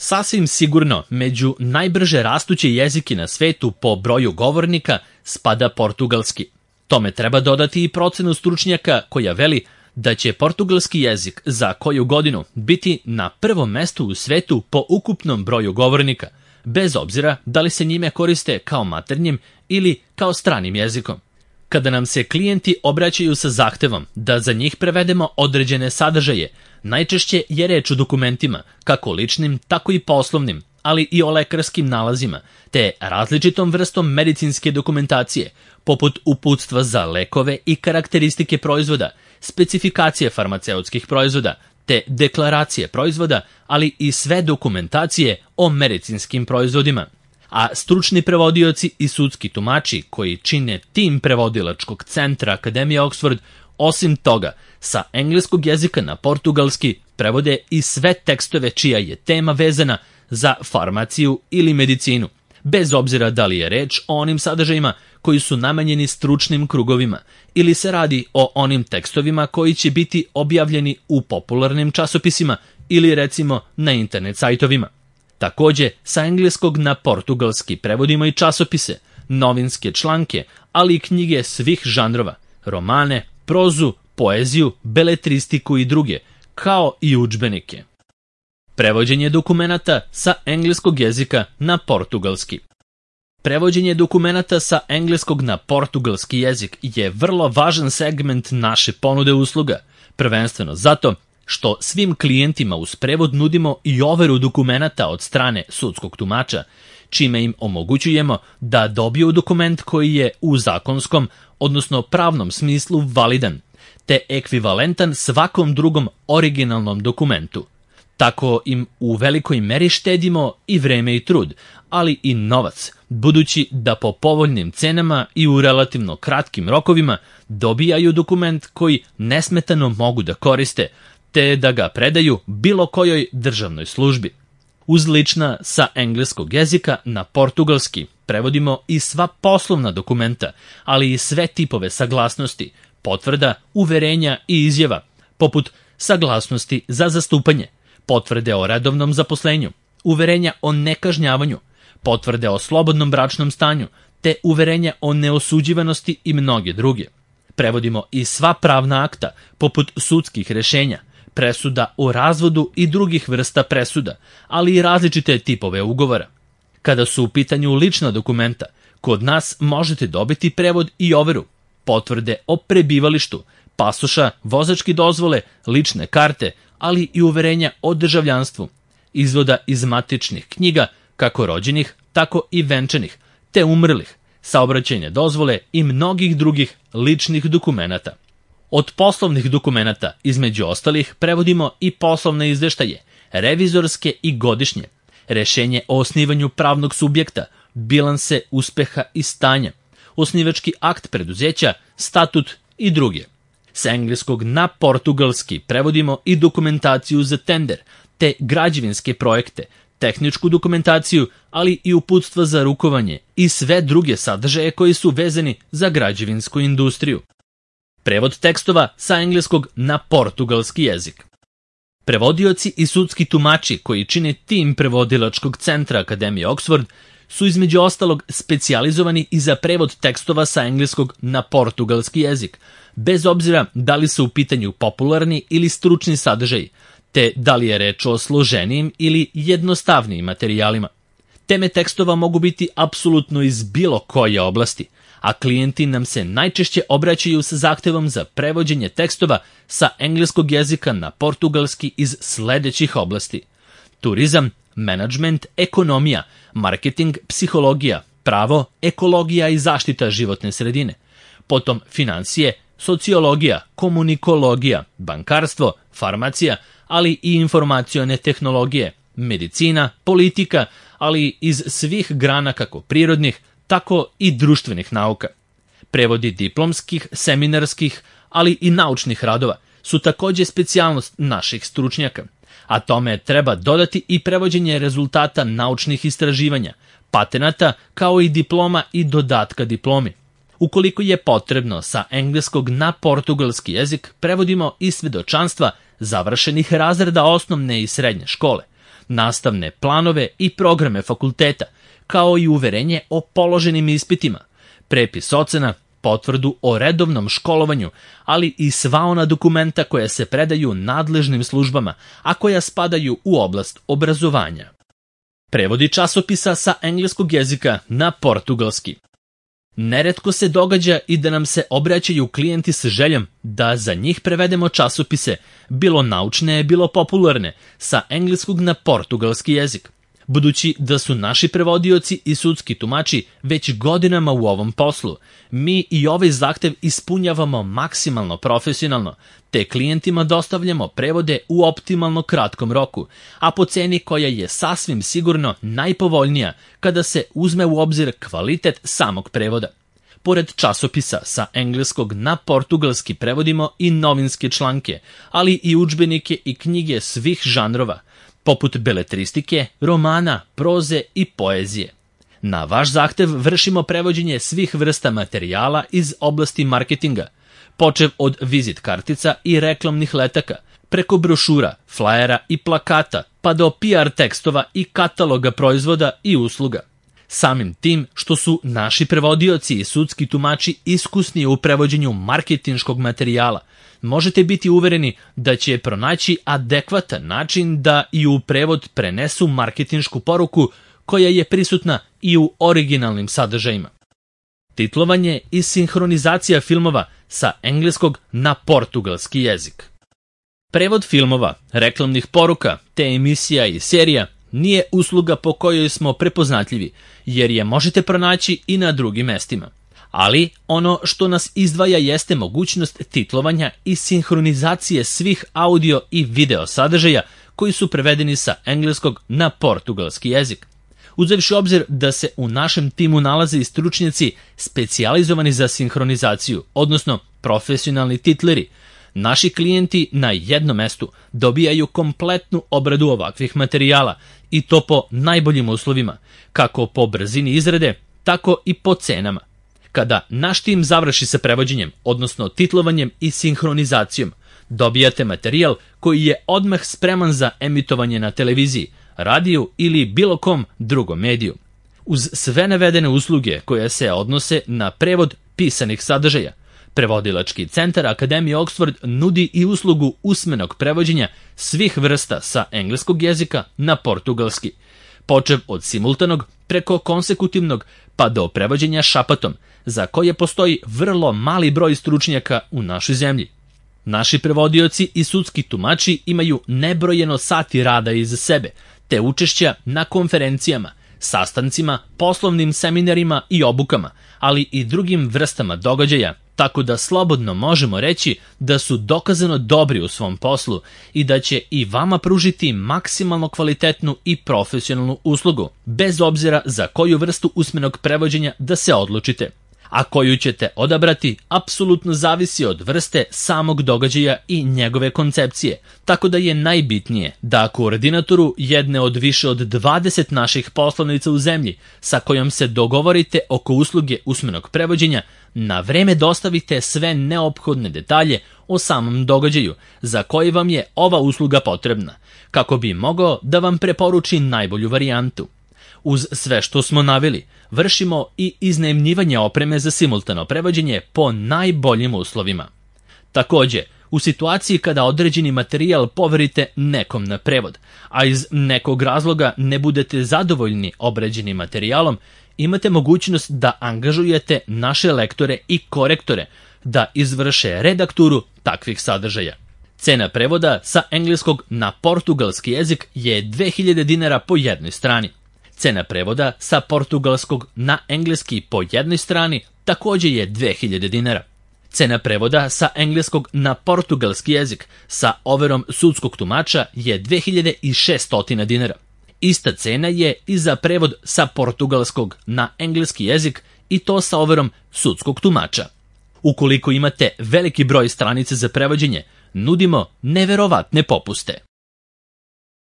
Sasvim sigurno, među najbrže rastuće jezike na svetu po broju govornika spada portugalski. Tome treba dodati i procenu stručnjaka koja veli da će portugalski jezik za koju godinu biti na prvom mestu u svetu po ukupnom broju govornika, bez obzira da li se njime koriste kao maternjim ili kao stranim jezikom. Kada nam se klijenti obraćaju sa zahtevom da za njih prevedemo određene sadržaje, najčešće je reč o dokumentima, kako ličnim, tako i poslovnim, ali i o lekarskim nalazima, te različitom vrstom medicinske dokumentacije, poput uputstva za lekove i karakteristike proizvoda, specifikacije farmaceutskih proizvoda, te deklaracije proizvoda, ali i sve dokumentacije o medicinskim proizvodima. A stručni prevodioci i sudski tumači koji čine tim prevodilačkog centra Akademije Oxford, osim toga, sa engleskog jezika na portugalski prevode i sve tekstove čija je tema vezana za farmaciju ili medicinu, bez obzira da li je reč o onim sadržajima koji su namenjeni stručnim krugovima ili se radi o onim tekstovima koji će biti objavljeni u popularnim časopisima ili recimo na internet sajtovima. Takođe, sa engleskog na portugalski prevodimo i časopise, novinske članke, ali i knjige svih žanrova, romane, prozu, poeziju, beletristiku i druge, kao i udžbenike. Prevođenje dokumenata sa engleskog jezika na portugalski. Prevođenje dokumenata sa engleskog na portugalski jezik je vrlo važan segment naše ponude usluga, prvenstveno zato što svim klijentima uz prevod nudimo i overu dokumenata od strane sudskog tumača, čime im omogućujemo da dobiju dokument koji je u zakonskom, odnosno pravnom smislu validan, te ekvivalentan svakom drugom originalnom dokumentu. Tako im u velikoj meri štedimo i vreme i trud, ali i novac, budući da po povoljnim cenama i u relativno kratkim rokovima dobijaju dokument koji nesmetano mogu da koriste, te da ga predaju bilo kojoj državnoj službi. Uz lična sa engleskog jezika na portugalski prevodimo i sva poslovna dokumenta, ali i sve tipove saglasnosti, potvrda, uverenja i izjava, poput saglasnosti za zastupanje, potvrde o redovnom zaposlenju, uverenja o nekažnjavanju, potvrde o slobodnom bračnom stanju, te uverenja o neosuđivanosti i mnoge druge. Prevodimo i sva pravna akta, poput sudskih rešenja, presuda o razvodu i drugih vrsta presuda, ali i različite tipove ugovora. Kada su u pitanju lična dokumenta, kod nas možete dobiti prevod i overu, potvrde o prebivalištu, pasoša, vozačke dozvole, lične karte, ali i uverenja o državljanstvu, izvoda iz matičnih knjiga, kako rođenih, tako i venčanih, te umrlih, saobraćajne dozvole i mnogih drugih ličnih dokumenata. Od poslovnih dokumenata, između ostalih, prevodimo i poslovne izveštaje, revizorske i godišnje, rešenje o osnivanju pravnog subjekta, bilanse uspeha i stanja, osnivački akt preduzeća, statut i druge. Sa engleskog na portugalski prevodimo i dokumentaciju za tender, te građevinske projekte, tehničku dokumentaciju, ali i uputstva za rukovanje i sve druge sadržaje koji su vezani za građevinsku industriju. Prevod tekstova sa engleskog na portugalski jezik. Prevodioci i sudski tumači koji čine tim prevodilačkog centra Akademije Oxford su između ostalog specijalizovani i za prevod tekstova sa engleskog na portugalski jezik, bez obzira da li su u pitanju popularni ili stručni sadržaji, te da li je reč o složenijim ili jednostavnijim materijalima. Teme tekstova mogu biti apsolutno iz bilo koje oblasti, a klijenti nam se najčešće obraćaju sa zahtevom za prevođenje tekstova sa engleskog jezika na portugalski iz sledećih oblasti: turizam, menadžment, ekonomija, marketing, psihologija, pravo, ekologija i zaštita životne sredine, potom finansije, sociologija, komunikologija, bankarstvo, farmacija, ali i informacione tehnologije, medicina, politika, ali iz svih grana kako prirodnih, tako i društvenih nauka. Prevodi diplomskih, seminarskih, ali i naučnih radova su takođe specijalnost naših stručnjaka, a tome treba dodati i prevođenje rezultata naučnih istraživanja, patenata, kao i diploma i dodatka diplomi. Ukoliko je potrebno, sa engleskog na portugalski jezik prevodimo i svedočanstva završenih razreda osnovne i srednje škole, nastavne planove i programe fakulteta, kao i uverenje o položenim ispitima, prepis ocena, potvrdu o redovnom školovanju, ali i sva ona dokumenta koja se predaju nadležnim službama, a koja spadaju u oblast obrazovanja. Prevodi časopisa sa engleskog jezika na portugalski. Neretko se događa i da nam se obraćaju klijenti sa željom da za njih prevedemo časopise, bilo naučne, bilo popularne, sa engleskog na portugalski jezik. Budući da su naši prevodioci i sudski tumači već godinama u ovom poslu, mi i ovaj zahtev ispunjavamo maksimalno profesionalno, te klijentima dostavljamo prevode u optimalno kratkom roku, a po ceni koja je sasvim sigurno najpovoljnija kada se uzme u obzir kvalitet samog prevoda. Pored časopisa sa engleskog na portugalski prevodimo i novinske članke, ali i udžbenike i knjige svih žanrova, poput beletristike, romana, proze i poezije. Na vaš zahtev vršimo prevođenje svih vrsta materijala iz oblasti marketinga, počev od vizit kartica i reklamnih letaka, preko brošura, flajera i plakata, pa do PR tekstova i kataloga proizvoda i usluga. Samim tim što su naši prevodioci i sudski tumači iskusni u prevođenju marketinškog materijala, možete biti uvereni da će pronaći adekvatan način da i u prevod prenesu marketinšku poruku koja je prisutna i u originalnim sadržajima. Titlovanje i sinhronizacija filmova sa engleskog na portugalski jezik. Prevod filmova, reklamnih poruka, te emisija i serija nije usluga po kojoj smo prepoznatljivi, jer je možete pronaći i na drugim mestima. Ali ono što nas izdvaja jeste mogućnost titlovanja i sinhronizacije svih audio i video sadržaja koji su prevedeni sa engleskog na portugalski jezik. Uzevši obzir da se u našem timu nalaze i stručnjaci specijalizovani za sinhronizaciju, odnosno profesionalni titleri, naši klijenti na jednom mestu dobijaju kompletnu obradu ovakvih materijala i to po najboljim uslovima, kako po brzini izrade, tako i po cenama. Kada naš tim završi sa prevođenjem, odnosno titlovanjem i sinhronizacijom, dobijate materijal koji je odmah spreman za emitovanje na televiziji, radiju ili bilo kom drugom mediju. Uz sve navedene usluge koje se odnose na prevod pisanih sadržaja, Prevodilački centar Akademije Oxford nudi i uslugu usmenog prevođenja svih vrsta sa engleskog jezika na portugalski, počev od simultanog preko konsekutivnog pa do prevođenja šapatom, za koje postoji vrlo mali broj stručnjaka u našoj zemlji. Naši prevodioci i sudski tumači imaju nebrojeno sati rada iza sebe, te učešća na konferencijama, sastancima, poslovnim seminarima i obukama, ali i drugim vrstama događaja, tako da slobodno možemo reći da su dokazano dobri u svom poslu i da će i vama pružiti maksimalno kvalitetnu i profesionalnu uslugu, bez obzira za koju vrstu usmenog prevođenja da se odlučite. A koju ćete odabrati apsolutno zavisi od vrste samog događaja i njegove koncepcije, tako da je najbitnije da koordinatoru jedne od više od 20 naših poslovnica u zemlji sa kojom se dogovorite oko usluge usmenog prevođenja, na vreme dostavite sve neophodne detalje o samom događaju za koji vam je ova usluga potrebna, kako bi mogao da vam preporuči najbolju varijantu. Uz sve što smo naveli, vršimo i iznajmljivanje opreme za simultano prevođenje po najboljim uslovima. Takođe, u situaciji kada određeni materijal poverite nekom na prevod, a iz nekog razloga ne budete zadovoljni obrađenim materijalom, imate mogućnost da angažujete naše lektore i korektore da izvrše redakturu takvih sadržaja. Cena prevoda sa engleskog na portugalski jezik je 2000 dinara po jednoj strani. Cena prevoda sa portugalskog na engleski po jednoj strani takođe je 2000 dinara. Cena prevoda sa engleskog na portugalski jezik sa overom sudskog tumača je 2600 dinara. Ista cena je i za prevod sa portugalskog na engleski jezik i to sa overom sudskog tumača. Ukoliko imate veliki broj stranica za prevođenje, nudimo neverovatne popuste.